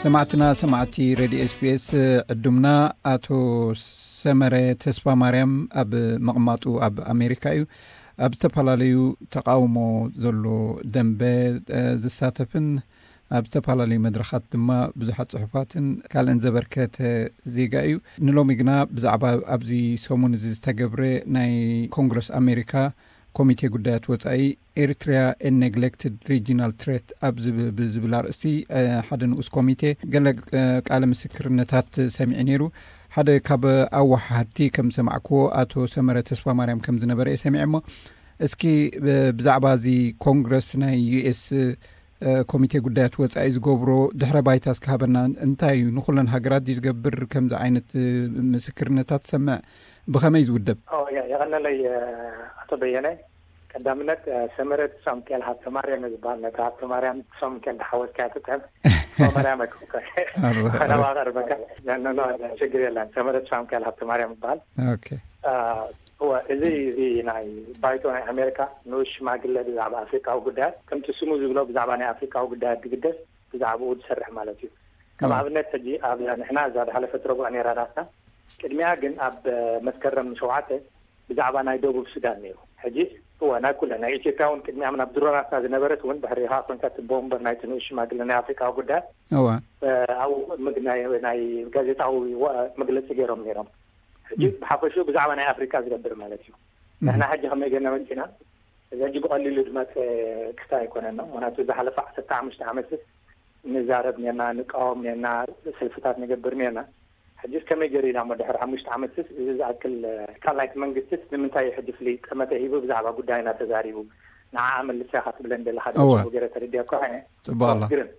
ሰማዕትና ሰማዕቲ ሬድዮ ኤስቢኤስ፣ ዕዱምና ኣቶ ሰመረ ተስፋ ማርያም ኣብ መቕማጡ ኣብ ኣሜሪካ እዩ። ኣብ ዝተፈላለዩ ተቃውሞ ዘሎ ደንበ ዝሳተፍን ኣብ ዝተፈላለዩ መድረኻት ድማ ብዙሓት ጽሑፋትን ካልእን ዘበርከተ ዜጋ እዩ። ንሎሚ ግና ብዛዕባ ኣብዚ ሰሙን እዚ ዝተገብረ ናይ ኮንግረስ ኣሜሪካ ኮሚቴ ጉዳያት ወጻኢ ኤሪትሪያ ኤን ኔግሌክትድ ሪጂናል ትሬት ኣብ ዝብ- ብዝብል ኣርእስቲ ሓደ ንኡስ ኮሚቴ ገለ ቃለ ምስክርነታት ሰሚዑ ነይሩ። ሓደ ካብ ኣወሓድቲ ከም ዝሰማዕክዎ ኣቶ ሰመረ ተስፋ ማርያም ከም ዝነበረ እየ ሰሚዐ። እሞ እስኪ ብዛዕባ እዚ ኮንግረስ ናይ ዩኤስ ኮሚቴ ጉዳያት ወጻኢ ዝገብሮ ድሕረ ባይታ እስኪ ሃበና። እንታይ እዩ ንኩለን ሃገራት ድዩ ዝገብር? ከምዚ ዓይነት ምስክርነታት ትሰምዕ፣ ብኸመይ ዝውደብ? የቐነለይ ኣቶ በየነ። ቀዳምነት ሰመረት ሳምኬል ሃብተ ማርያም ዝበሃል፣ ነቲ ሃብተ ማርያም ሳምኬል ተሓወስካ ትጥዕም ማርያም ኣይኮንካ። ከናባቀርበካ ችግር የለን። ሰመረት ሳምኬል ሃብተ ማርያም ይበሃል። እወ፣ እዚ እዚ ናይ ባይቶ ናይ ኣሜሪካ ንኡስ ሽማግለ ብዛዕባ ኣፍሪቃዊ ጉዳያት፣ ከምቲ ስሙ ዝብሎ ብዛዕባ ናይ ኣፍሪቃዊ ጉዳያት ዝግደስ፣ ብዛዕባኡ ዝሰርሕ ማለት እዩ። ከም ኣብነት ሕጂ ኣብ ንሕና እዛ ዝሓለፈት ረቡዕ ነይራ ናትና። ቅድሚያ ግን ኣብ መስከረም ሸውዓተ ብዛዕባ ናይ ደቡብ ሱዳን ነይሩ። ሕጂ እወ፣ ናይ ኩለን ናይ ኢትዮጵያ እውን ቅድሚያ ናብ ድሮናትና ዝነበረት እውን ድሕሪ ኢኻ ኮንካ እቲ ቦምበር ናይቲ ንኡስ ሽማግለ ናይ ኣፍሪቃዊ ጉዳያት እወ። ኣብኡ ናይ ናይ ጋዜጣዊ መግለፂ ገይሮም ነይሮም። ሕጂ ብሓፈሽኡ ብዛዕባ ናይ ኣፍሪቃ ዝገብር ማለት እዩ። ንሕና ሕጂ ከመይ ገና መፂና፣ እዚ ሕጂ ብቐሊሉ ዝመፀ ክስታይ ኣይኮነን። ምክንያቱ ዝሓለፈ ዓሰርተ ሓሙሽተ ዓመትስ ንዛረብ ኔርና፣ ንቃወም ኔርና፣ ሰልፍታት ንገብር ኔርና። ሕጂስ ከመይ ገይሩ ኢና እሞ ድሕሪ ሓሙሽተ ዓመትስ እዚ ዝኣክል ካልኣይቲ መንግስትስ ንምንታይ እዩ ሕጂ ፍሉይ ጠመተ ሂቡ ብዛዕባ ጉዳይና ተዛሪቡ? ንዓኣ መልሳ ኢኻ ትብለን ዘለኻ ዶ? እወ። ገይረ ተረዲኣኳ እየ። ጽቡቕ ኣላ። ግርም።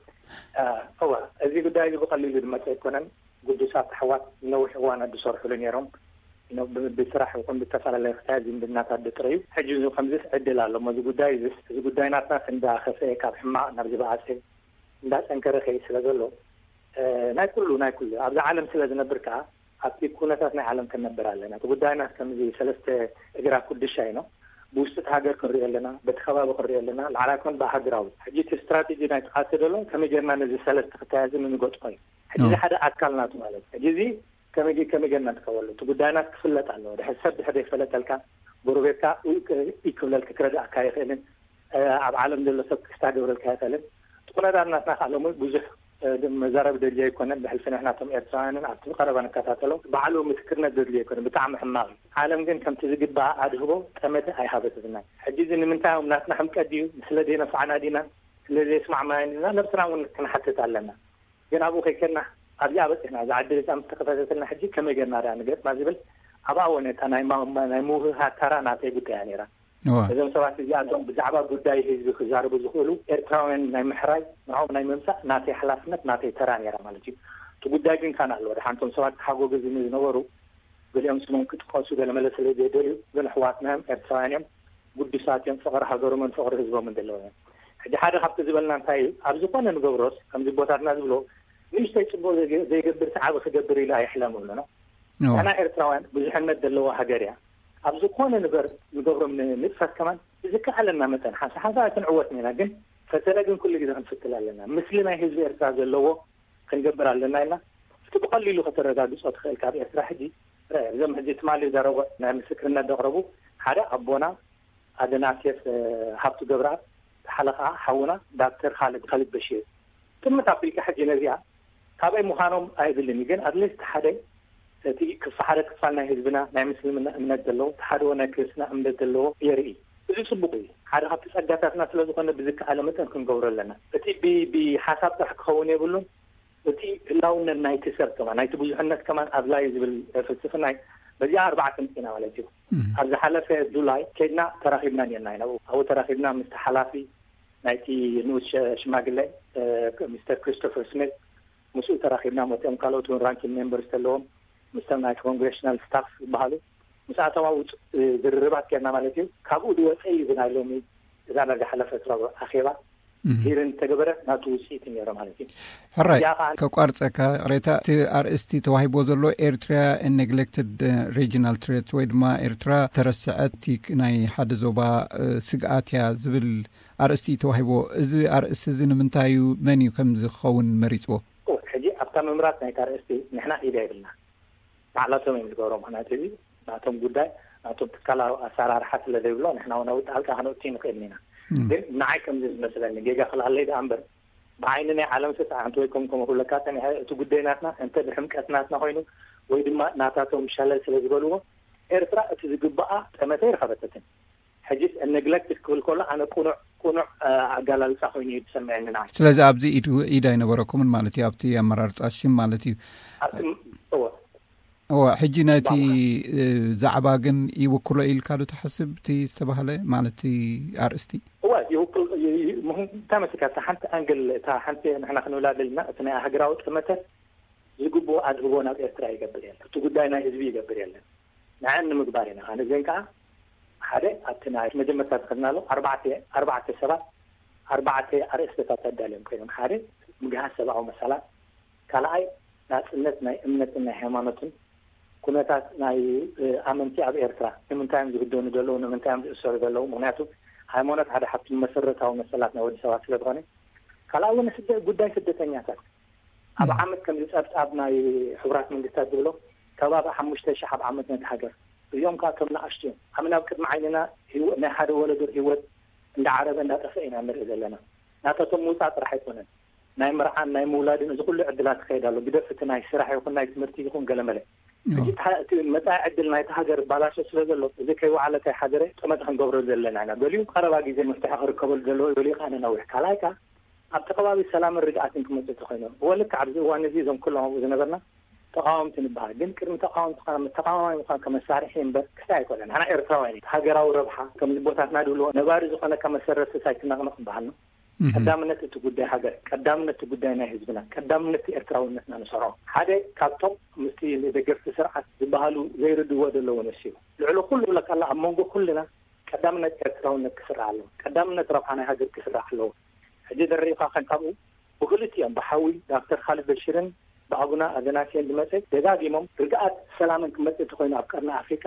እወ፣ እዚ ጉዳይ እዚ ብቐሊሉ ዝመፀ ኣይኮነን። ግዱሳት ኣሕዋት ነዊሕ እዋናት ዝሰርሕሉ ነይሮም። ብ- ብስራሕ ይኹን ብዝተፈላለየ ክሳየት ዝምድናታት ዝጥረዩ። ሕጂ እዚ ከምዚስ ዕድል ኣሎ እሞ እዚ ጉዳይ እዚ እዚ ጉዳይ ናትና እንዳኸፈ ካብ ሕማቕ ናብ ዝበኣሰ እንዳጠንከረ ከይ ስለ ዘሎ፣ ናይ ኩሉ ናይ ኩሉ ኣብዚ ዓለም ስለ ዝነብር ከዓ ኣብቲ ኩነታት ናይ ዓለም ክንነብር ኣለና። እቲ ጉዳይና ከምዚ ሰለስተ እግራ ኩድሻ ኢኖ ብውሽጢ እቲ ሃገር ክንሪኦ ኣለና፣ በቲ ከባቢ ክንሪኦ ኣለና። ላዕላይ ኮን ብሃገራዊ ሕጂ እቲ ስትራቴጂ ናይ ጥቃሲ ዘሎ ከመይ ጌርና ነዚ ሰለስተ ክተያያዘ ንንገጥፎ እዩ። ሕጂ እዚ ሓደ ኣካል ናቱ ማለት እዩ። ሕጂ እዚ ከመይ ጌ- ከመይ ጌርና ንጥቀመሉ? እቲ ጉዳይና ክፍለጥ ኣለዎ። ድሕሪ ሰብ ድሕሪ ዘይፈለጠልካ ጎረቤትካ ውይ ክ- ይክብለልካ ክረዳእካ ይኽእልን ኣብ ዓለም ዘሎ ሰብ ክስታ ገብረልካ ይኽእልን። ጥቁነታት ናትና ከዓ ሎሚ ብዙሕ መዛረብ ደድልዮ ኣይኮነን። ብሕልፊ ንሕናቶም ኤርትራውያንን ኣብቲ ቀረባ ንከታተሎ ባዕሉ ምስክርነት ደድልዮ ኣይኮነን። ብጣዕሚ ሕማቕ እዩ። ዓለም ግን ከምቲ ዝግባእ ኣድህቦ ጠመተ ኣይሃበትልና። ሕጂ እዚ ንምንታይ እዮም ናትና ሕምቀት ድዩ? ስለ ዘይነፋዕና ዲና? ስለ ዘይስማዕማዕና ዲና? ነብስና እውን ክንሓትት ኣለና። ግን ኣብኡ ከይከድና ኣብዚኣ በፂሕና እዛ ዕድል እዚኣ ምስ ተኸፈተትና ሕጂ ከመይ ጌርና ዳ ንገጥማ ዝብል ኣብኣ ወነታ ናይ ማ- ናይ ምውህሃድ ተራ ናተይ ጉዳያ ነይራ። እዞም ሰባት እዚኣቶም ብዛዕባ ጉዳይ ህዝቢ ክዛረቡ ዝኽእሉ ኤርትራውያን ናይ ምሕራይ ንዕኦም ናይ ምምፃእ ናተይ ሓላፍነት ናተይ ተራ ነይራ ማለት እዩ። እቲ ጉዳይ ግን ካን ኣለዎ ደሓንቶም ሰባት ተሓጎግዝኒ ዝነበሩ ገሊኦም ስሞም ክጥቀሱ ገለመለ ስለ ዘይደልዩ ግን ኣሕዋትና እዮም፣ ኤርትራውያን እዮም፣ ግዱሳት እዮም፣ ፍቕሪ ሃገሮምን ፍቕሪ ህዝቦምን ዘለዎም እዮም። ሕጂ ሓደ ካብቲ ዝበልና እንታይ እዩ ኣብ ዝኾነ ንገብሮስ ከምዚ ቦታትና ዝብሎ ንእሽተይ ፅቡቅ ዘይገብር ሰዓቢ ክገብር ኢሉ ኣይሕለም ብሎ ነው። ንሕና ኤርትራውያን ብዙሕነት ዘለዎ ሃገር እያ። ኣብ ዝኾነ ንገር ንገብሮም ንጥፈት ከማን ብዝከኣለና መጠን ሓንሳ ሓንሳ ኣይክንዕወት ኢና፣ ግን ፈተነ ግን ኩሉ ግዜ ክንፍትል ኣለና። ምስሊ ናይ ህዝቢ ኤርትራ ዘለዎ ክንገብር ኣለና ኢልና እቲ ብቐሊሉ ከተረጋግጾ ትኽእል ካብ ኤርትራ ሕጂ እዞም ሕጂ ትማሊ ዘረጎ ናይ ምስክርነት ዘቕረቡ ሓደ ኣቦና ኣደናሴፍ ሃብቱ ገብረኣብ፣ ሓደ ከዓ ሓውና ዳክተር ካልድ ካልድ በሽር። ጥምት ኣቢልካ ሕጂ ነዚኣ ካበይ ምዃኖም ኣይብልን እዩ፣ ግን ኣትሊስት ሓደ እቲ ክፋ ሓደ ክፋል ናይ ህዝብና ናይ ምስልምና እምነት ዘለዎ እቲ ሓደ ናይ ክርስትና እምነት ዘለዎ የርኢ። እዚ ፅቡቅ እዩ። ሓደ ካብቲ ፀጋታትና ስለዝኾነ ብዝከኣለ መጠን ክንገብሮ ኣለና። እቲ ብሓሳብ ጥራሕ ክኸውን የብሉን። እቲ ህላውነት ናይቲ ሰብ ከማን ናይቲ ብዙሕነት ከማን ኣድላይ ዝብል ፍልስፍና እዩ። በዚኣ ኣርባዕተ ምፅና ማለት እዩ። ኣብ ዝሓለፈ ጁላይ ከድና ተራኺብና ኔርና ኢና። ኣብኡ ተራኺብና ምስቲ ሓላፊ ናይቲ ንኡስ ሽማግለ ሚስተር ክሪስቶፈር ስሚት ምስኡ ተራኺብና፣ መቲኦም ካልኦት እውን ራንኪን ሜምበርስ ዘለዎም ምስቶም ናይ ኮንግሬሽናል ስታፍ ዝበሃሉ ምስኣቶም ኣብኡ ዝርርባት ጌርና ማለት እዩ። ካብኡ ዝወፀ እዩ እዚ ናይ ሎሚ እዛ ናይ ዝሓለፈ ረቡዕ ኣኼባ ሂርን ተገበረ ናቱ ውፅኢት ነይሮ ማለት እዩ። ሕራይ። ከቋርፀካ ቅሬታ፣ እቲ ኣርእስቲ ተዋሂቦ ዘሎ ኤርትሪያ ኔግሌክትድ ሪጂናል ትሬት ወይ ድማ ኤርትራ ተረስዐት ናይ ሓደ ዞባ ስግኣት እያ ዝብል ኣርእስቲ እዩ ተዋሂቦ። እዚ ኣርእስቲ እዚ ንምንታይ እዩ? መን እዩ ከም ዝኸውን መሪፅዎ? ሕጂ እታ ምምራፅ ናይታ ኣርእስቲ ንሕና ኢድ የብልና። ባዕላቶም እዮም ዝገብሮ። ምክንያቱ እዚ ናቶም ጉዳይ፣ ናቶም ትካላዊ ኣሰራርሓ ስለ ዘይብሎ ንሕና እውን ኣብኡ ጣልቃ ከነእቱ ንኽእል ኢና። ግን ንዓይ ከምዚ ዝመስለኒ ጌጋ ክልኣለይ ደኣ እምበር፣ ብዓይኒ ናይ ዓለም ስርዓት ወይ ከም ከም ክብለካ ጸኒሐ፣ እቲ ጉዳይ ናትና እንተ ብሕምቀት ናትና ኮይኑ ወይ ድማ ናታቶም ሸለል ስለ ዝበልዎ፣ ኤርትራ እቲ ዝግባኣ ጠመተ ይረኸበተትን። ሕጂስ ነግለክት ክብል ከሎ ኣነ ቁኑዕ ቁኑዕ ኣገላልጻ ኮይኑ እዩ ዝሰምዐኒ ንዓይ። ስለዚ ኣብዚ ኢድ ኢድ ኣይነበረኩምን ማለት እዩ ኣብቲ ኣመራርጻ ሽም ማለት እዩ። ኣብቲ እወ እወ። ሕጂ ናይቲ ዛዕባ ግን ይውክሎ ኢልካ ዶ ትሓስብ እቲ ዝተባህለ ማለት እቲ ኣርእስቲ? እወ ይውክል። እንታይ መስልካ እታ ሓንቲ ኣንግል እታ ሓንቲ ንሕና ክንብላ ደልና እቲ ናይ ሃገራዊ ጠመተ ዝግብኦ ኣድህቦ ናብ ኤርትራ ይገብር የለን። እቲ ጉዳይ ናይ ህዝቢ ይገብር የለን። ንዐን ንምግባር ኢና። ኣነ ግን ከዓ ሓደ ኣብቲ ናይ መጀመርታ ዝኸድናሉ ኣርባዕተ ኣርባዕተ ሰባት ኣርባዕተ ኣርእስትታት ኣዳልዮም ኮይኖም ሓደ ምግሃስ ሰብኣዊ መሰላት፣ ካልኣይ ናፅነት ናይ እምነትን ናይ ሃይማኖትን ኩነታት ናይ ኣመንቲ ኣብ ኤርትራ ንምንታይ እዮም ዝህደኑ ዘለዉ፣ ንምንታይ እዮም ዝእሰሩ ዘለዉ? ምክንያቱ ሃይማኖት ሓደ ካብቲ መሰረታዊ መሰላት ናይ ወዲ ሰባት ስለዝኾነ፣ ካልኣይ እውን ስደ ጉዳይ ስደተኛታት ኣብ ዓመት ከምዚ ጸብጻብ ናይ ሕቡራት መንግስታት ዝብሎ ከባቢ ሓሙሽተ ሺሕ ኣብ ዓመት ነቲ ሃገር። እዚኦም ከዓ ከም ንኣሽቱ እዮም። ኣመና ኣብ ቅድሚ ዓይንና ናይ ሓደ ወለዶ ህይወት እንዳዓረበ እንዳጠፈ ኢና ንርኢ ዘለና። ናታቶም ምውፃእ ጥራሕ ኣይኮነን፣ ናይ መርዓን ናይ ምውላድን እዚ ኩሉ ዕድላት ይኸይድ ኣሎ። ግደፍ እቲ ናይ ስራሕ ይኹን ናይ ትምህርቲ ይኹን ገለመለ። ሕጂ እቲ መፃኢ ዕድል ናይቲ ሃገር ባላሾ ስለ ዘሎ እዚ ከይወዓለ ከይሓደረ ጠመተ ክንገብረሉ ዘለና ኢና። ገሊኡ ቀረባ ግዜ መፍትሒ ክርከበሉ ዘለዎ፣ ገሊኡ ከዓ ነነዊሕ። ካልኣይ ከዓ ኣብቲ ከባቢ ሰላምን ርግኣትን ክመፅእ ተኮይኑ እወ ልክዕ ኣብዚ እዋን እዚ እዞም ኩሎም ኣብኡ ዝነበርና ተቃወምቲ ንበሃል። ግን ቅድሚ ተቃወምቲ ተቃዋማይ ምኳን ከመሳርሒ እምበር ክስታይ ኣይኮነን። ንሕና ኤርትራውያን ኢና። ሃገራዊ ረብሓ ከምዚ ቦታትና ድብልዎ ነባሪ ዝኾነካ መሰረት ስሳይ ትነቅንቕ በሃል ነው። ቀዳምነት እቲ ጉዳይ ሃገር፣ ቀዳምነት እቲ ጉዳይ ናይ ህዝብና፣ ቀዳምነት እቲ ኤርትራውነትና ንሰርዖ። ሓደ ካብቶም ምስቲ ደገፍቲ ስርዓት ዝበሃሉ ዘይርድዎ ዘለዉ ነሲቡ ልዕሊ ኩሉ ብለካ ኣሎ ኣብ መንጎ ኩልና ቀዳምነት ኤርትራውነት ክስራዕ ኣለዎ። ቀዳምነት ረብሓ ናይ ሃገር ክስራዕ ኣለዎ። ሕጂ ዝረእዩካ ከን ካብኡ ብክልቲኦም ብሓዊ ዳክተር ካልድ በሽርን ብኣቡና ኣዘናስዮን ዝመፀ ደጋጊሞም ርግኣት ሰላምን ክመፅእ እንተኮይኑ ኣብ ቀርኒ ኣፍሪካ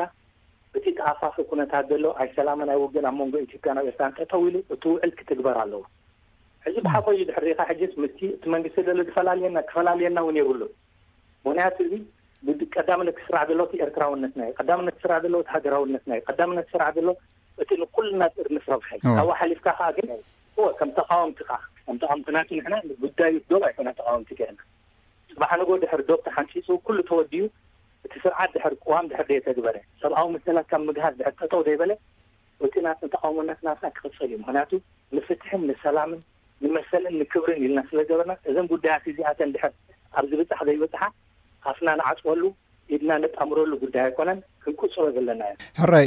እቲ ተኣፋፊ ኩነታት ዘሎ ኣይ ሰላምን ኣይ ውግን ኣብ መንጎ ኢትዮጵያን ኣብ ኤርትራን ጠጠው ኢሉ እቲ ውዕል ክትግበር ኣለዎ። ሕጂ ብሓቆ እዩ ድሕር ሪኢካ ሕጂስ ምስቲ እቲ መንግስቲ ዘሎ ዝፈላልየና ክፈላልየና እውን የብሉን። ምክንያቱ እዚ ቀዳምነት ክስራሕ ዘለዎ እቲ ኤርትራውነትና እዩ። ቀዳምነት ክስራሕ ዘለዎ እቲ ሃገራውነትና እዩ። ቀዳምነት ክስራሕ ዘለዎ እቲ ንኩልና ጥርንፍ ረብሓ እዩ። ካብኡ ሓሊፍካ ከዓ ግን እወ ከም ተቃወምቲ ከዓ ከም ተቃወምቲ ናቱ ንሕና ጉዳዩ ዶብ ኣይኮነ ተቃወምቲ ገርና። ፅባሕ ንጎ ድሕር ዶብ ተሓንፂፁ ኩሉ ተወዲኡ እቲ ስርዓት ድሕር ቅዋም ድሕር ደየተግበረ ሰብኣዊ መሰላት ካብ ምግሃስ ድሕር ጠጠው ደይበለ እቲ ናትና ተቃውሞነት ናትና ክቅፅል እዩ። ምክንያቱ ንፍትሕን ንሰላምን ንመሰልን ንክብርን ኢልና ስለ ገበርና እዘን ጉዳያት እዚኣተን ድሕር ኣብ ዝብፃሕ ዘይብፅሓ ኣፍና ንዓፅወሉ ኢድና ነጣምረሉ ጉዳይ ኣይኮነን። ክንቁፅሮ ዘለና እየ። ሕራይ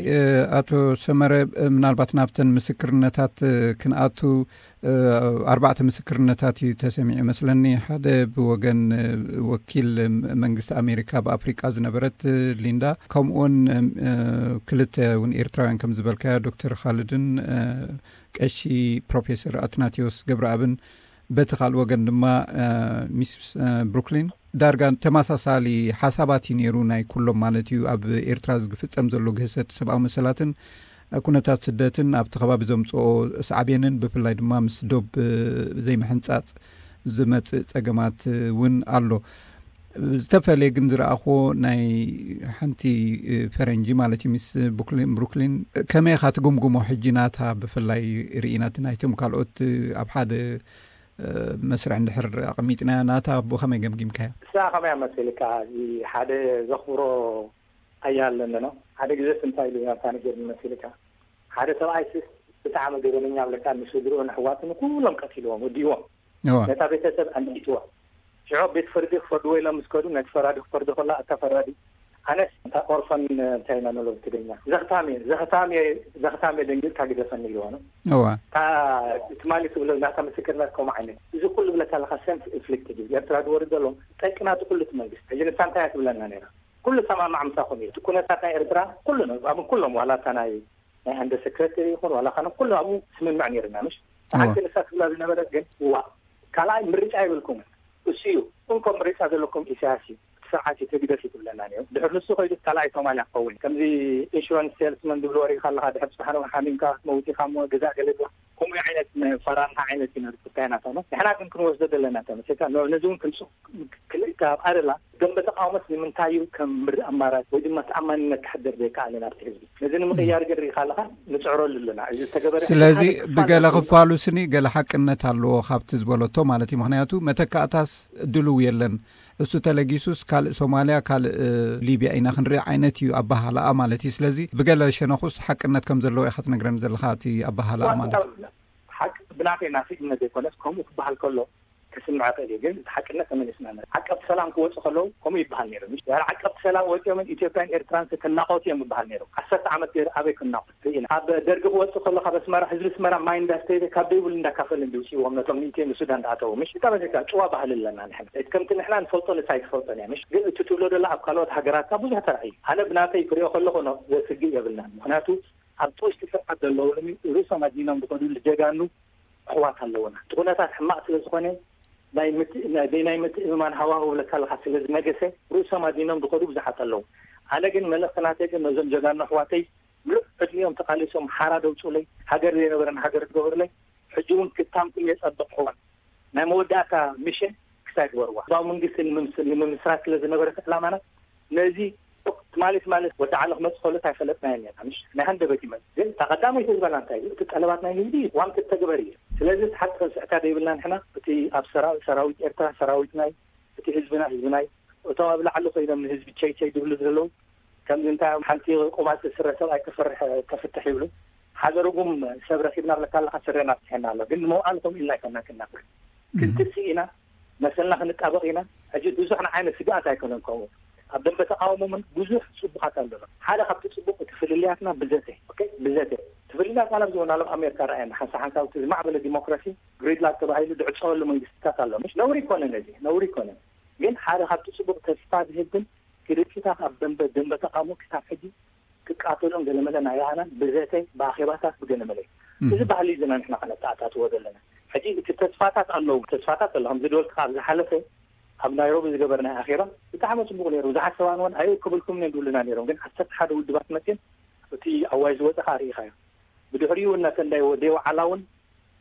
ኣቶ ሰመረ፣ ምናልባት ናብተን ምስክርነታት ክንኣቱ ኣርባዕተ ምስክርነታት እዩ ተሰሚዑ መስለኒ። ሓደ ብወገን ወኪል መንግስቲ ኣሜሪካ ብኣፍሪቃ ዝነበረት ሊንዳ፣ ከምኡውን ክልተ እውን ኤርትራውያን ከም ዝበልካዮ ዶክተር ካልድን ቀሺ ፕሮፌሰር ኣትናቴዎስ ገብረኣብን፣ በቲ ካልእ ወገን ድማ ሚስ ብሩክሊን። ዳርጋ ተመሳሳሊ ሓሳባት እዩ ነይሩ ናይ ኩሎም ማለት እዩ። ኣብ ኤርትራ ዝፍጸም ዘሎ ግህሰት ሰብኣዊ መሰላትን ኩነታት ስደትን ኣብቲ ከባቢ ዘምጽኦ ሳዕቤንን ብፍላይ ድማ ምስ ዶብ ዘይምሕንጻጽ ዝመጽእ ጸገማት እውን ኣሎ። ዝተፈለየ ግን ዝረኣኽዎ ናይ ሓንቲ ፈረንጂ ማለት እዩ ምስ ብሩክሊን ከመይ ኢኻ ትግምግሞ? ሕጂ ናታ ብፍላይ ርኢናት ናይቶም ካልኦት ኣብ ሓደ መስርዕ እንድሕር ኣቐሚጥናዮ ናታ ብኸመይ ገምጊምካዮ? ንሳ ከመይ መሲልካ? እዚ ሓደ ዘኽብሮ ኣያ ኣለኒ ነው። ሓደ ግዜ እንታይ ኢሉ ናታ ነገር መሲልካ? ሓደ ሰብኣይ ስስ ብጣዕሚ ገበነኛ ብለካ ንስድርኡ ንሕዋቱ ንኩሎም ቀቲልዎም ወዲዎም። ነታ ቤተሰብ ኣንዲትዎ ሽዑ ቤት ፍርዲ ክፈርድዎ ኢሎም ምስ ከዱ ነቲ ፈራዲ ክፈርዶ ከላ እታ ፈራዲ ኣነስ እታ ኦርፈን እንታይ ኢና ንብሎ ብትግርኛ ዘኽታም እየ ዘኽታም እየ ዘኽታም እየ ደንጊርካ ግደፈኒ ኢልዎ ነው። እዋ እታ ትማሊ ትብሎ ናታ ምስክርነት ከምኡ ዓይነት እዚ ኩሉ ብለካ ኣለካ ሰልፍ ኢንፍሊክትድ እዩ ኤርትራ ዝወርድ ዘሎ ጠቂ ናቱ ኩሉ እቲ መንግስቲ ሕጂ ንሳ እንታይ እያ ትብለና ነይራ ኩሉ ሰማማዕ ምሳኹም እዩ እቲ ኩነታት ናይ ኤርትራ ኩሉ ነው ኣብ ኩሎም ዋላ እታ ናይ ናይ ኣንደ ሰክረተሪ ይኹን ዋላ ካነ ኩሉ ኣብኡ ስምምዕ ነይርና ምሽ ሓንቲ ንሳ ትብላ ዝነበረት ግን እዋ ካልኣይ ምርጫ ይብልኩም እሱ እዩ እንኮ ምርጫ ዘለኩም ኢሳያስ እዩ እቲ ስርዓት እዩ ተግደፍ ይብለና ነይሩ ድሕር ንሱ ኮይዱ ካልኣይ ሶማልያ ክኸውን ከምዚ ኢንሹራንስ ሴልስመን ዝብሎ ወሪእካ ኣለካ ድሕር ፅባሕ ሓሚምካ ክትመውት ኢካ እሞ ገዛእ ገለ ድዋ ዓይነት ፈራርሓ ዓይነት እዩ ነቲ ክልታይና ተመስ ንሕና ግን ክንወስዶ ዘለና ተመስ ነዚ እውን ክንሱ ክልእካ ኣብ ኣረላ ደንበ ተቃውሞስ ንምንታይ እዩ ከም ምርእ ኣማራጭ ወይ ድማ ተኣማንነት ክሕደር ዘይከኣለ ናብቲ ህዝቢ ነዚ ንምቕያር ግን ርኢኻ ኣለኻ ንፅዕረሉ ኣለና እዚ ዝተገበረ ስለዚ ብገለ ክፋሉ ስኒ ገለ ሓቅነት ኣለዎ ካብቲ ዝበለቶ ማለት እዩ ምክንያቱ መተካእታስ ድልው የለን እሱ ተለጊሱስ ካልእ ሶማልያ ካልእ ሊብያ ኢና ክንርኢ ዓይነት እዩ ኣባሃላኣ ማለት እዩ ስለዚ ብገለ ሸነኹስ ሓቅነት ከም ዘለዎ ኢኻ ትነግረኒ ዘለኻ እቲ ኣባሃላኣ ማለት እዩ ሓቂ ብናተይ ናስኢነት ዘይኮነስ ከምኡ ክበሃል ከሎ ክስምዐ ክእል እዩ ግን እቲ ሓቅነት ተመሊስና ዓቀብቲ ሰላም ክወፁ ከለዉ ከምኡ ይበሃል ነይሩ ምሽ ድሕሪ ዓቀብቲ ሰላም ወፂኦምን ኢትዮጵያን ኤርትራን ክናቆቱ እዮም ይበሃል ነይሩ ዓሰርተ ዓመት ገይሩ ኣበይ ክናቆት ርኢና ኣብ ደርጊ ክወፅእ ከሎ ካብ ኣስመራ ህዝቢ ኣስመራ ማይ እንዳስተየ ካብ ደይብሉ እንዳካፈለ እንዲ ውፅእዎም ነቶም ንኢትዮ ንሱዳን ዝኣተዉ ምሽ ብጣዕሚ ጭዋ ባህሊ ኣለና ንሕና ከምቲ ንሕና ንፈልጦ ንሳ ኣይትፈልጦን እያ ምሽ ግን እቲ ትብሎ ደላ ኣብ ካልኦት ሃገራትካ ብዙሕ ተራእዩ ኣነ ብናተይ ክሪኦ ከለኹ ኖ ዘስግእ የብልናን ምክንያቱ ኣብቲ ውሽጢ ስርዓት ዘለዉ ርእሶም ኣዲኖም ዝኸዱ ጀጋኑ ኣሕዋት ኣለዉና እቲ ኩነታት ሕማቕ ስለ ዝኾነ ናይ ምትእምማን ሃዋህው ብለካ ኣለኻ ስለ ዝነገሰ ርእሶም ኣዲኖም ዝኸዱ ብዙሓት ኣለዉ ኣነ ግን መልእኽቲ ናተይ ግን ነዞም ጀጋኑ ኣሕዋተይ ምሉእ ዕድሚኦም ተቓሊሶም ሓራ ደውፁለይ ሃገር ዘይነበረን ሃገር ትገብርለይ ሕጂ እውን ክታምኩም የፀብቕ ሕዋን ናይ መወዳእታ ሚሽን ክሳይ ግበርዋ ህዝባዊ መንግስቲ ንምምስራት ስለ ዝነበረ ዕላማና ነዚ ትማሊ ትማሊ ወዲ ዓለ ክመፅእ ከሎ እንታይ ፈለጥናዮ ኔርና ምሽ ናይ ሃንደበት ይመፅእ ግን እታ ቀዳመይቲ ዝበላ እንታይ እዩ እቲ ጠለባት ናይ ንግዲ ዋም ክትተግበር እዩ ስለዚ እቲ ሓቂ ክንስዕታ ዘይብልና ንሕና እቲ ኣብ ሰራዊት ኤርትራ ሰራዊት ናይ እቲ ህዝብና ህዝቢ ናይ እቶም ኣብ ላዕሊ ኮይኖም ንህዝቢ ቸይ ቸይ ዝብሉ ዘለዉ ከምዚ እንታይ ሓንቲ ቆባፂ ስረ ሰብኣይ ክፈርሕ ከፍትሕ ይብሉ ሓደ ርጉም ሰብ ረኪብና ብለካ ኣለካ ስረና ፍትሐና ኣሎ ግን ንመውዓል ከምኡ ኢልና ኣይኮና ክናፍር ክንትሲ ኢና መሰልና ክንጣበቕ ኢና ሕጂ ብዙሕ ንዓይነ ስግኣት ኣይኮነን ከምኡ ኣብ ደንበ ተቃውሞ ምን ብዙሕ ፅቡቃት ኣለና ሓደ ካብቲ ፅቡቅ እቲ ፍልልያትና ብዘተ ብዘተ እቲ ፍልልያት ማለት ዝሆን ኣለም ኣሜሪካ ረኣየና ሓንሳ ሓንሳብ እቲ ዝማዕበለ ዲሞክራሲ ግሪድላክ ተባሂሉ ዝዕፀወሉ መንግስትታት ኣሎ ምሽ ነውሪ ይኮነ ነዚ ነውሪ ይኮነ ግን ሓደ ካብቲ ፅቡቅ ተስፋ ዝህብ ግን ክልቂታት ኣብ ደንበ ደንበ ተቃውሞ ክሳብ ሕጂ ክቃተሉን ገለመለ ናይ ያህናን ብዘተ ብኣኼባታት ብገለመለ እዚ ባህሊ ዝና ንሕና ከነተኣታትዎ ዘለና ሕጂ እቲ ተስፋታት ኣለዉ ተስፋታት ኣሎ ከም ዝደወልካ ኣብ ዝሓለፈ ኣብ ናይሮቢ ዝገበርናይ ኣኼባ ብጣዕሚ ፅቡቅ ነይሩ ብዙሓት ሰባን እውን ኣይ ክብልኩም ነ ዝብሉና ነይሮም ግን ዓሰርተ ሓደ ውድባት መፅን እቲ ኣዋይ ዝወፀ ከዓ ርኢኻዮ ብድሕሪኡ እናተ እንዳይ ወደይ ወዓላ እውን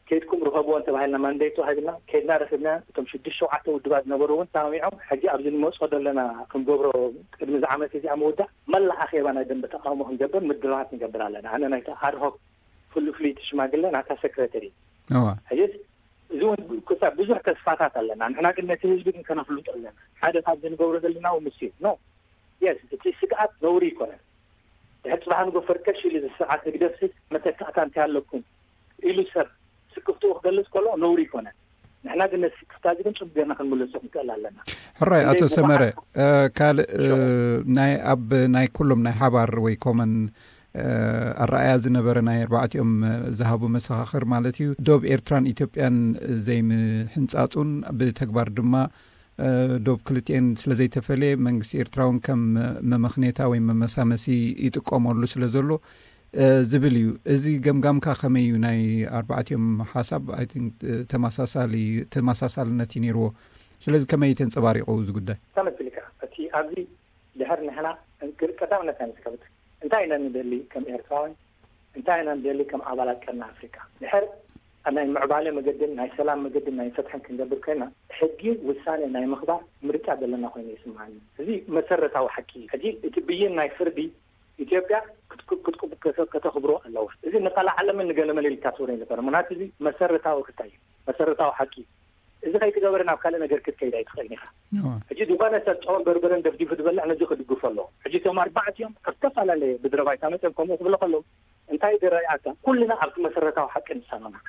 ከይድኩም ርኸብዎ እንተባሂልና ማንዴት ተዋሂብና ከይድና ረኺብና እቶም ሽዱሽተ ሸውዓተ ውድባት ዝነበሩ እውን ሳሚዖም ሕጂ ኣብዚ ንመፅኦ ዘለና ክንገብሮ ቅድሚ ዝዓመት እዚኣ ምውዳእ መላእ ኣኼባ ናይ ደንበ ተቃውሞ ክንገብር ምድላዋት ንገብር ኣለና ኣነ ናይቲ ኣድሆክ ፍሉ ፍልይቲ ሽማግለ ናታ ሰክረተሪ ሕጂ እዚ እውን ክሳብ ብዙሕ ተስፋታት ኣለና ንሕና ግን ነቲ ህዝቢ ግን ከነፍልጦ ኣለና ሓደ ካብዚ ንገብሮ ዘለና ምስ ኖ የስ እቲ ስግኣት ነውሪ ይኮነን ድሕር ፅባሕ ንጎ ፈርከሽ ኢሉ ዝስርዓት ህግደፍሲ መተካእታ እንታይ ኣለኩም ኢሉ ሰብ ስክፍትኡ ክገልፅ ከሎ ነውሪ ይኮነን ንሕና ግን ነቲ ስክፍታ እዚ ግን ፅቡቅ ጌርና ክንምልሶ ክንክእል ኣለና ሕራይ ኣቶ ሰመረ ካልእ ናይ ኣብ ናይ ኩሎም ናይ ሓባር ወይ ኮመን ኣረኣያ ዝነበረ ናይ ኣርባዕቲኦም ዝሃቡ መሰኻኽር ማለት እዩ ዶብ ኤርትራን ኢትዮጵያን ዘይምሕንፃፁን ብተግባር ድማ ዶብ ክልቲኤን ስለዘይተፈለየ መንግስቲ ኤርትራ እውን ከም መመኽኔታ ወይ መመሳመሲ ይጥቀመሉ ስለ ዘሎ ዝብል እዩ። እዚ ገምጋምካ ከመይ እዩ? ናይ ኣርባዕቲኦም ሓሳብ I think ተመሳሳሊ ተመሳሳልነት እዩ ነይርዎ። ስለዚ ከመይ እዩ ተንጸባሪቑ እዚ ጉዳይ? ተመስልካ እቲ ኣብዚ ድሕር ንሕና ቀዳምነት ናይ መስከብት እንታይ ኢና ንደሊ ከም ኤርትራውያን እንታይ ኢና ንደሊ ከም ኣባላት ቀርኒ ኣፍሪካ ድሕር ናይ ምዕባለ መገድን ናይ ሰላም መገድን ናይ ፍትሕን ክንገብር ኮይና ሕጊ ውሳኔ ናይ ምኽባር ምርጫ ዘለና ኮይኑ ይስምዓኒ። እዚ መሰረታዊ ሓቂ እዩ። ሕጂ እቲ ብይን ናይ ፍርዲ ኢትዮጵያ ከተኽብሮ ኣለዋ። እዚ ንቃል ዓለምን ንገለመለ ኢልካ ትብሎ ኣይነበረ። ምክንያቱ እዚ መሰረታዊ ክታይ እዩ፣ መሰረታዊ ሓቂ እዩ። እዚ ከይትገበረ ናብ ካልእ ነገር ክትከይድ ኣይትኽእልን ኢኻ። ሕጂ ዝኾነ ሰብ ጨውን በርበረን ደፍዲፉ ዝበልዕ ነዚ ክድግፎ ኣለዎ። ሕጂ እቶም ኣርባዕቲኦም ኣብ ዝተፈላለየ ምድረ ባይታ መፅኦም ከምኡ ክብሎ ከለዉ እንታይ ዝረኣየካ? ኩልና ኣብቲ መሰረታዊ ሓቂ ንሳማማዕ።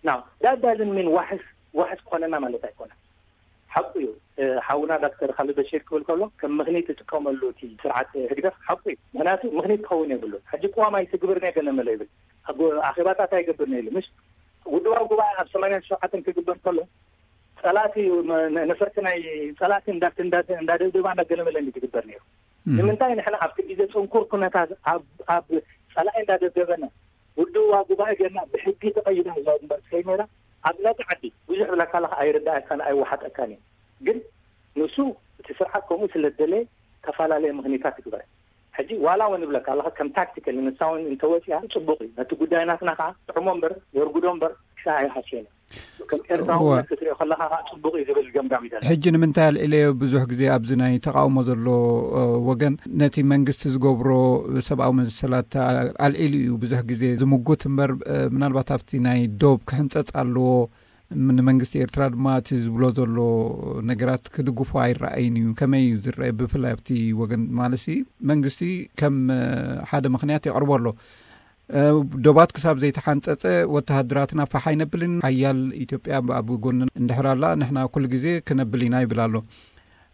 ናው ዳዳዝን ሚን ዋሕስ ዋሕስ ክኾነና ማለት ኣይኮነን። ሓቁ እዩ። ሓውና ዳክተር ካልድ በሽር ክብል ከሎ ከም ምኽኒት ትጥቀመሉ እቲ ስርዓት ህግደፍ ሓቁ እዩ። ምክንያቱ ምኽኒት ክኸውን የብሉ። ሕጂ ቅዋም ኣይትግብርን እየ ገለ መለ ይብል፣ ኣኼባታት ኣይገብርን እየ ኢሉ። ምሽ ውድባዊ ጉባኤ ኣብ ሰማንያን ሸውዓተን ክግበር ከሎ ፀላእቲ ነፈርቲ ናይ ፀላእቲ እንዳደብደባ እንዳገለመለ እንዲ ትግበር ነይሩ። ንምንታይ ንሕና ኣብቲ ግዜ ፅንኩር ኩነታት ኣብ ፀላኢ እንዳደብደበና ውድዋ ጉባኤ ገርና ብሕጊ ተቐይዳ ህዝባዊ ግንባር ትኸይድ ነይራ ኣብ ነቲ ዓዲ ብዙሕ ብላካ ለካ ኣይርዳእካን ኣይወሓጠካን እዩ። ግን ንሱ እቲ ስርዓት ከምኡ ስለ ዝደለየ ተፈላለየ ምኽኒታት ይግበር። ሕጂ ዋላ እውን እብለካ ኣለኻ፣ ከም ታክቲካል ንሳ እውን እንተወፂኣ ፅቡቕ እዩ። ነቲ ጉዳይ ናትና ከዓ ጥዕሞ እምበር የርጉዶ እምበር ክሳዕ ኣይሃስየን። ከም ኤርትራዊ ክትሪኦ ከለኻ ከዓ ፅቡቕ እዩ ዝብል ገምጋም እዩ ዘሎ። ሕጂ ንምንታይ ኣልዒለዮ? ብዙሕ ግዜ ኣብዚ ናይ ተቃውሞ ዘሎ ወገን ነቲ መንግስቲ ዝገብሮ ሰብኣዊ መሰላት ኣልዒሉ እዩ ብዙሕ ግዜ ዝምጉት እምበር፣ ምናልባት ኣብቲ ናይ ዶብ ክሕንፀፅ ኣለዎ፣ ንመንግስቲ ኤርትራ ድማ እቲ ዝብሎ ዘሎ ነገራት ክድግፎ ኣይረኣይን እዩ። ከመይ እዩ ዝረአ? ብፍላይ ኣብቲ ወገን ማለት መንግስቲ ከም ሓደ ምክንያት የቕርቦ ኣሎ። ዶባት ክሳብ ዘይተሓንፀፀ ወተሃደራትና ፋሕ ኣይነብልን። ሓያል ኢትዮጵያ ኣብ ጎንና እንድሕር ኣላ ንሕና ኩሉ ግዜ ክነብል ኢና ይብል ኣሎ።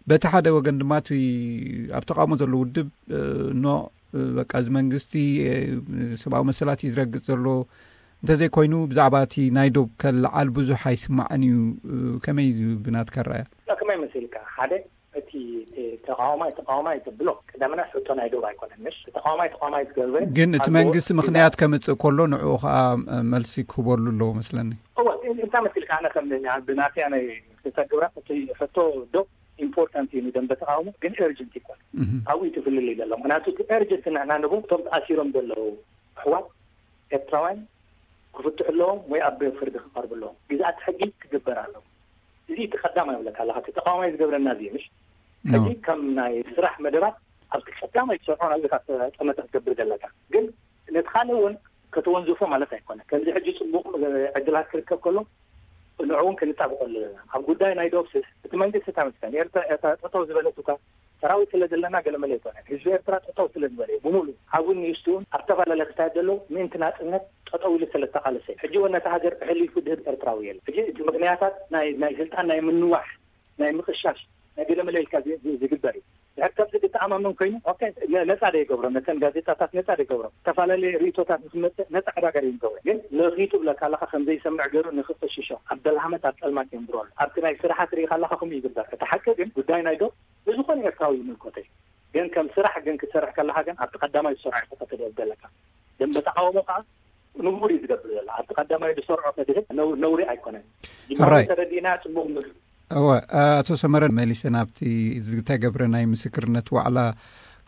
በቲ ሓደ ወገን ድማ እቲ ኣብ ተቃውሞ ዘሎ ውድብ ኖ፣ በቃ እዚ መንግስቲ ሰብኣዊ መሰላት እዩ ዝረግፅ ዘሎ፣ እንተዘይኮይኑ ብዛዕባ እቲ ናይ ዶብ ከለዓል ብዙሕ ኣይስማዕን እዩ። ከመይ እዩ ብናትካ ረኣያ? ከመይ መሲልካ? ሓደ እቲ ተቃዋማይ ተቃዋማይ ተብሎ ቀዳምና ሕቶ ናይ ዶብ ኣይኮነን። ምሽ ተቃዋማይ ተቃዋማይ ትገብረ ግን እቲ መንግስቲ ምክንያት ከምፅእ ከሎ ንዕኡ ከዓ መልሲ ክህበሉ ኣለዎ መስለኒ። እወ፣ እንታይ መሲልካ? ኣነ ከም ብናትያ ናይ ክልተ ግብራ እቲ ሕቶ ዶብ ኢምፖርታንት እዩ ንደንበ ተቃውሞ፣ ግን ኤርጀንት ይኮን ኣብኡ ትፍልል እዩ ዘሎ። ምክንያቱ እቲ ኤርጀንት ንሕና ንቡ እቶም ተኣሲሮም ዘለዉ ኣሕዋት ኤርትራውያን ክፍትሑ ኣለዎም ወይ ኣብ ፍርዲ ክቐርቡ ኣለዎም። ግዛኣት ሕጊ ክግበር ኣለዎ። እዚ እቲ ቀዳማይ ይብለካ ኣለካ፣ እቲ ተቃዋማይ ዝገብረና እዚ ምሽ ሕጂ ከም ናይ ስራሕ መደባት ኣብቲ ቀዳማይ ትሰርሖ ናብዚ ካብ ጠመተ ክትገብር ዘለካ። ግን ነቲ ካልእ እውን ከተወንዝፎ ማለት ኣይኮነ። ከምዚ ሕጂ ፅቡቕ ዕድላት ክርከብ ከሎ ንዕኡ እውን ክንጣብቀሉ ኣለና። ኣብ ጉዳይ ናይ ዶብ ስስ እቲ መንግስቲ ተመስገን ኤርትራ ጠጠው ዝበለት እኳ ሰራዊት ስለ ዘለና ገለመለ ኣይኮነን። ህዝቢ ኤርትራ ጠጠው ስለ ዝበለ እዩ ብሙሉ ዓቡን ንእሽቱን ኣብ ዝተፈላለየ ክሳየት ዘለዉ ምእንቲ ናጽነት ጠጠው ኢሉ ስለ ተቃለሰ እዩ። ሕጂ እውን ነታ ሃገር ኣሕሊፉ ድህብ ኤርትራዊ የለን። ሕጂ እቲ ምክንያታት ናይ ናይ ስልጣን ናይ ምንዋሕ ናይ ምቕሻሽ ናይ ገለመለ ኢልካ ዚ- ዚ- ዝግበር እዩ። ድሕር ከምዚ ክትኣማመን ኮይኑ ኦኬ፣ ነ- ነጻ ዶ ይገብሮ? ነተን ጋዜጣታት ነጻ ዶ ይገብሮ? ዝተፈላለየ ርእቶታት ንክመጽእ ነጻ ዕዳጋ ዶ ይገብሮ? ግን ለኺቱ ብለካ ኣለካ ከም ዘይሰምዕ ገይሩ ንክቕሽሾ ኣብ ደልሃመት ኣብ ጸልማት የንብሮ ኣሎ። ኣብቲ ናይ ስራሓት ርኢኻ ኣለካ ከምኡ ይግበር። እቲ ሓቂ ግን ጉዳይ ናይ ዶ ብዝኾነ ኤርትራዊ ይምልከቶ እዩ። ግን ከም ስራሕ ግን ክትሰርሕ ከለካ ግን ኣብቲ ቀዳማይ ዝሰርዖ ኢኻ ከተደብ ዘለካ። ደንበ ተቃውሞ ከዓ ንቡር እዩ ዝገብር ዘሎ። ኣብቲ ቀዳማይ ዝሰርዖ ከድህብ ነው- ነውሪ ኣይኮነን። ጅማሮ ሕራይ። ተረዲእና ጽቡቕ ምር- እወ፣ ኣቶ ሰመረ መሊሰ ናብቲ ዝተገብረ ናይ ምስክርነት ዋዕላ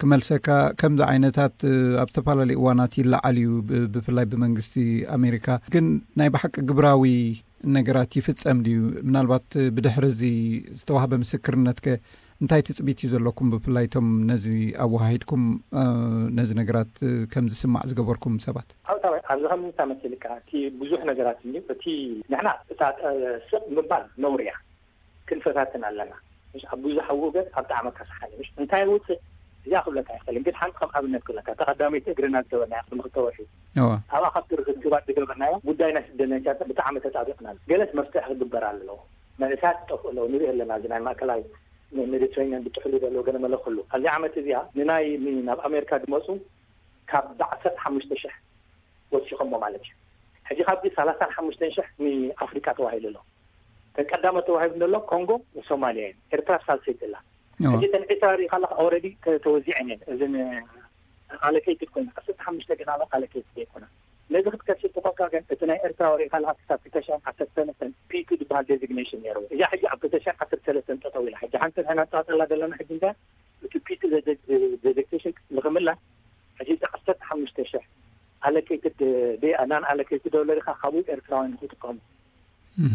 ክመልሰካ። ከምዚ ዓይነታት ኣብ ዝተፈላለዩ እዋናት ይለዓል እዩ፣ ብ- ብፍላይ ብመንግስቲ ኣሜሪካ። ግን ናይ ብሓቂ ግብራዊ ነገራት ይፍጸም ድዩ? ምናልባት ብድሕሪ እዚ ዝተዋህበ ምስክርነትከ እንታይ ትጽቢት እዩ ዘለኩም? ብፍላይ እቶም ነዚ ኣወሃሂድኩም ነዚ ነገራት ከም ዝስማዕ ዝገበርኩም ሰባት። ኣብታ ኣብዚ ከምዚ ተመሲልካ እቲ ብዙሕ ነገራት እንዲ እቲ ንሕና እታ ስቕ ምባል ነውሪ እያ። ክንፈታትን ኣለና። ምሽ ኣብ ብዙሕ ውገት ኣብ ጣዕመ ካሳሓኒ ምሽ እንታይ ውፅእ እዚኣ ክብለካ ይኽእል። ግን ሓንቲ ከም ኣብነት ክብለካ ተቐዳመይቲ እግርና ዝገበርናያ ቅድሚ ክልተ ወርሒ እዋ። ኣብኣ ካብቲ ርክክባት ዝገበርናዮ ጉዳይ ናይ ስደተኛታት ብጣዕሚ ተጣቢቕና ኣሎ። ገለስ መፍትሒ ክግበር ኣለዎ። መንእሰያት ይጠፍኡ ኣለዉ ንርኢ ኣለና። እዚ ናይ ማእከላይ ሜዲትሬኒያን ብጥሕሉ ዘለዉ ገለ መለ ኩሉ ኣብዚ ዓመት እዚኣ ንናይ ናብ ኣሜሪካ ዝመፁ ካብ ዓሰርተ ሓሙሽተ ሽሕ ወሲኾሞ ማለት እዩ። ሕጂ ካብዚ ሰላሳን ሓሙሽተን ሽሕ ንኣፍሪቃ ተዋሂሉ ኣሎ። ተን ቀዳመ ተዋሂቡ ዘሎ ኮንጎ ሶማልያ እዩ። ኤርትራ ሳልሰይቲ ኣላ። ሕጂ ተን ዒስራ ሪኢኻ ኣለካ ኦረዲ ተወዚዐን እየን። እዝን ኣለኬይትድ ኮይና ዓሰርተ ሓሙሽተ ግን ኣለ ኣለኬይትድ ዘይኮና። ነዚ ክትከስብ ተኾንካ ግን እቲ ናይ ኤርትራ ወሪእካ ኣለካ ክሳብ ክልተ ሽሕን ዓሰርተ ሰለስተን ፒ ቱ ዝበሃል ዴዚግኔሽን ነይሩ። እዚኣ ሕጂ ኣብ ክልተ ሽሕን ዓሰርተ ሰለስተን ጠጠው ኢላ ሕጂ ሓንቲ ንሕና ንጣጠላ ዘለና ሕጂ እንታይ እቲ ፒ ቱ ዴዚግኔሽን ንክምላ ሕጂ ዓሰርተ ሓሙሽተ ሽሕ ኣለኬይትድ ናን ኣለኬይትድ ዶለር ኢኻ ካብኡ ኤርትራውያን ንክጥቀሙ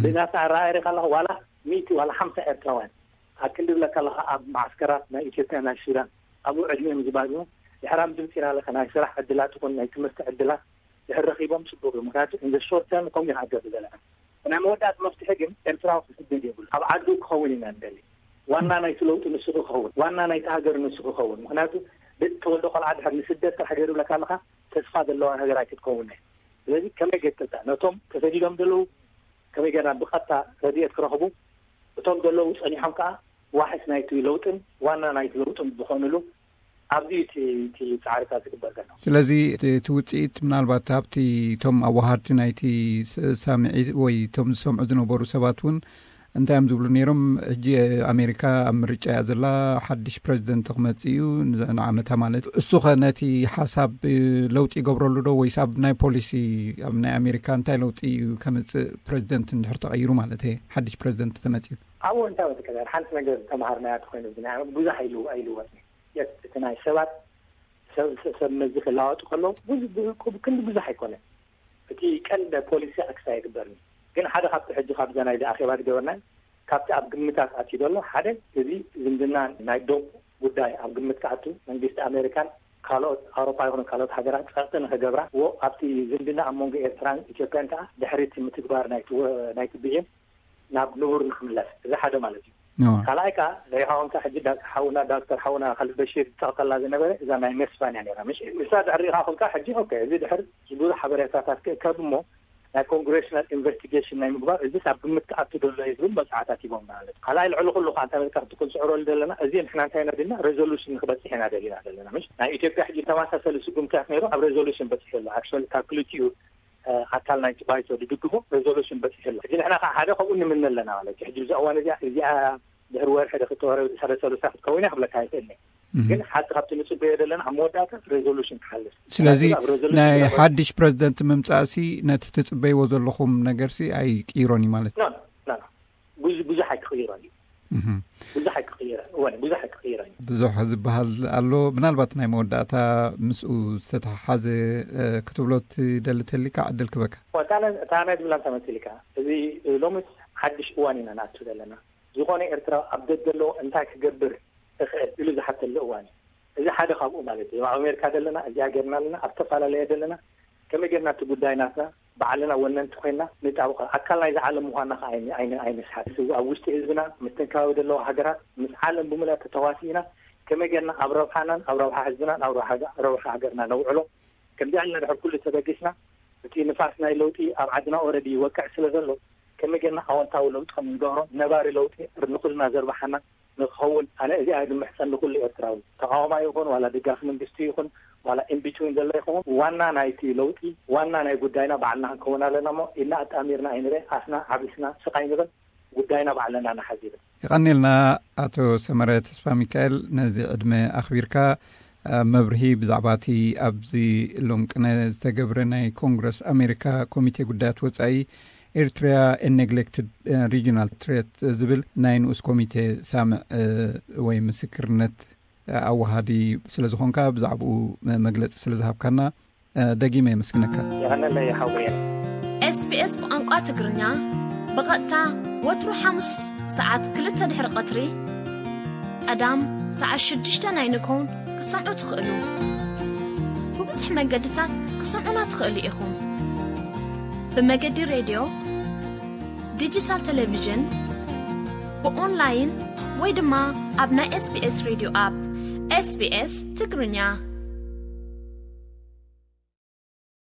ብናታ ኣረኣያ ሪኢኻ ኣለኻ ዋላ ሚእቲ ዋላ ሓምሳ ኤርትራውያን ኣብ ክንዲ ብለካ ኣለኻ ኣብ ማዓስከራት ናይ ኢትዮጵያ ናይ ሱዳን ኣብኡ ዕድሚኦም ዝባዝኑ ድሕራም ድምፂ ኢና ኣለካ ናይ ስራሕ ዕድላት ይኹን ናይ ትምህርቲ ዕድላት ድሕር ረኺቦም ፅቡቅ እዩ። ምክንያቱ እንዘ ሾርት ተርም ከምኡ ይሃገር ዘለና ናይ መወዳእቲ መፍትሒ ግን ኤርትራዊ ክስደድ የብሉ ኣብ ዓዱ ክኸውን ኢና ንደሊ። ዋና ናይቲ ለውጢ ንሱ ክኸውን ዋና ናይቲ ሃገር ንሱ ክኸውን ምክንያቱ ተወልዶ ቆልዓ ድሕር ንስደድ ጥራሕ ገይሩ ብለካ ኣለካ ተስፋ ዘለዋ ሃገር ኣይክትከውን። ስለዚ ከመይ ገይርክልታ ነቶም ተሰዲዶም ዘለዉ ከመይ ገይርና ብቐጥታ ረድኤት ክረኽቡ እቶም ዘለዉ ጸኒሖም ከኣ ዋሕስ ናይቲ ለውጥን ዋና ናይቲ ለውጥን ዝኾኑሉ ኣብዚ እቲ እቲ ጻዕርታት ዝግበር ዘሎ። ስለዚ እቲ ውጽኢት ምናልባት ኣብቲ እቶም ኣዋሃድቲ ናይቲ ሳምዒ ወይ እቶም ዝሰምዑ ዝነበሩ ሰባት እውን እንታይ እዮም ዝብሉ ነይሮም? ሕጂ ኣሜሪካ ኣብ ምርጫ እያ ዘላ፣ ሓድሽ ፕረዚደንት ክመጽእ እዩ ንዓመታ ማለት። እሱኸ ነቲ ሓሳብ ለውጢ ይገብረሉ ዶ ወይስ ኣብ ናይ ፖሊሲ ኣብ ናይ ኣሜሪካ እንታይ ለውጢ እዩ ከምጽእ ፕረዚደንት እንድሕር ተቐይሩ ማለት እየ ሓድሽ ፕረዚደንት ተመጽዩ? ኣብኡ እንታይ ወትከበር ሓንቲ ነገር ተምሃርናያ ተኮይኑ ብዙሕ ኣይልወጥ እቲ ናይ ሰባት ሰብ ሰብ መዚ ክለዋወጡ ከለዉ ብዙ ብዙ ክንዲ ብዙሕ ኣይኮነን። እቲ ቀንደ ፖሊሲ ኣክስ ኣይግበርኒ። ግን ሓደ ካብቲ ሕጂ ካብዛ ናይ ኣኼባ ዝገበርና ካብቲ ኣብ ግምታት ኣትዩ ዘሎ ሓደ እዚ ዝምድና ናይ ዶብ ጉዳይ ኣብ ግምት ክኣቱ መንግስቲ ኣሜሪካን ካልኦት ኣውሮፓ ይኹኑ ካልኦት ሃገራት ጸቕጢ ንኽገብራ ዎ ኣብቲ ዝምድና ኣብ መንጎ ኤርትራን ኢትዮጵያን ከዓ ድሕሪት ምትግባር ናይቲ ወ- ናይቲ ብይን ናብ ንቡር ንክምለስ እዚ ሓደ ማለት እዩ። ካልኣይ ከዓ ሪኢኻኹም ከዓ ሕጂ ዳ- ሓውና ዳክተር ሓውና ካልድ በሺር ዝጠቕሰላ ዝነበረ እዛ ናይ ሜስፋን እያ ነራ ምሽ ንሳ ድሕር ሪኢኻኹም ከዓ ሕጂ ኦኬ እዚ ድሕር ብዙሕ ሓበሬታታት ክእከብ እሞ ናይ ኮንግሬሽናል ኢንቨስቲጌሽን ናይ ምግባር እዚስ ኣብ ግምት ክኣቱ ዘሎ እዩ ዝብል መፅዓታት ሂቦም ማለት እዩ። ካልኣይ ልዕሊ ኩሉ ከዓ እንታይ መልካ ክትኩን ዝዕረሉ ዘለና እዚ ንሕና እንታይ ኢና ደልና ሬዞሉሽን ንክበፅሕ ኢና ደሊና ዘለና ምሽ ናይ ኢትዮጵያ ሕጂ ተመሳሰሊ ስጉምትታት ነይሩ ኣብ ሬዞሉሽን በፂሑ ኣሎ ኣክቹዋሊ ካብ ክልቲኡ ኣካል ናይቲ ባይቶ ዝድግፎ ሬዞሉሽን በፂሑ ኣሎ። ሕጂ ንሕና ከዓ ሓደ ከምኡ ንምነ ኣለና ማለት እዩ። ሕጂ ብዛ እዋን እዚኣ እዚኣ ድሕሪ ወርሒ ዶ ክልተ ወርሒ ድሕሪ ሰሉሳ ክትከውን እያ ክብለካ ይኽእል እየ። ግን ሓንቲ ካብቲ ንፅበዮ ዘለና ኣብ መወዳእታ ሬዞሉሽን ክሓልፍ ስለዚ ምክንያቱ ኣብ ሬዞሉሽን ናይ ዝነበረ ሓድሽ ፕረዚደንት ምምፃእሲ ነቲ ትፅበይዎ ዘለኹም ነገርሲ ኣይቅይሮን እዩ ማለት ኖ ኖ ኖ ብዙ ብዙሕ ኣይክቕይሮን እዩ። ብዙሕ ኣይክቕይረን እወን ብዙሕ ኣይክቕይረን እዩ። ብዙሕ ዝበሃል ኣሎ። ምናልባት ናይ መወዳእታ ምስኡ ዝተተሓሓዘ ክትብሎ ትደሊ ተሊካ ዕድል ክበካ። እታ ናይ ዝብላ እንታይ መሲልካ እዚ ሎሚ ሓድሽ እዋን ኢና ንኣቱ ዘለና። ዝኾነ ኤርትራ ኣብ ደገ ኣለዎ እንታይ ክገብር እኽእል ኢሉ ዝሓተሉ እዋን እዩ። እዚ ሓደ ካብኡ ማለት እዩ ኣብ ኣሜሪካ ዘለና እዚኣ ገርና ኣለና ኣብ ዝተፈላለየ ዘለና ከመይ ገርና እቲ ጉዳይ ናትና ባዕልና ወነንቲ ኮይና ንጣብቐ ኣካል ናይዚ ዓለም ምዃንና ከዓ ኣይንስሓት። ኣብ ውሽጢ ህዝብና ምስትንካዊ ዘለዋ ሃገራት ምስ ዓለም ብምልእቲ ተዋሲእና ከመይ ገርና ኣብ ረብሓናን ኣብ ረብሓ ህዝብናን ኣብ ረብሓ ሃገርና ነውዕሎ። ከምዚ ዕልና ድሕር ኩሉ ተበጊስና እቲ ንፋስ ናይ ለውጢ ኣብ ዓድና ኦረዲ ይወቅዕ ስለ ዘሎ ከመይ ገርና ኣወንታዊ ለውጢ ከም ንገብሮ ነባሪ ለውጢ ንኩልና ዘርብሓና ንክኸውን ኣነ እዚኣ ንምሕፀን ንኩሉ ኤርትራዊ ተቃዋማ ይኹን ዋላ ደጋፊ መንግስቲ ይኹን ዋላ ኢንቢትዊን ዘሎ ይኸውን ዋና ናይቲ ለውጢ ዋና ናይ ጉዳይና ባዕልና ክንከውን ኣለና እሞ ኢድና ኣጣሚርና ኣይንበ ኣፍና ዓቢስና ስቃይ ንበል ጉዳይና ባዕልና ንሓዝ ይብል። የቐኔልና ኣቶ ሰመረ ተስፋ ሚካኤል ነዚ ዕድመ ኣኽቢርካ መብርሂ ብዛዕባ እቲ ኣብዚ ሎም ቅነ ዝተገብረ ናይ ኮንግረስ ኣሜሪካ ኮሚቴ ጉዳያት ወፃኢ ኤርትሪያ ኤ ኔግሌክትድ ሪጂናል ትሬት ዝብል ናይ ንኡስ ኮሚቴ ሳምዕ ወይ ምስክርነት ኣወሃዲ ስለ ዝኾንካ ብዛዕባኡ መግለፂ ስለ ዝሃብካና ደጊመ የመስግነካ። የቐነለይ ሓወየ። SBS ብቋንቋ ትግርኛ ብቐጥታ ወትሩ ሓሙስ ሰዓት ክልተ ድሕሪ ቀትሪ ቀዳም ሰዓት ሽዱሽተ ናይ ንግሆን ክሰምዑ ትኽእሉ። ብብዙሕ መገድታት ክሰምዑና ትኽእሉ ኢኹም። ብመገዲ ሬድዮ፣ ዲጂታል ቴሌቪዥን፣ ብኦንላይን ወይ ድማ ኣብ ናይ SBS ሬድዮ ኣፕ SBS ትግርኛ።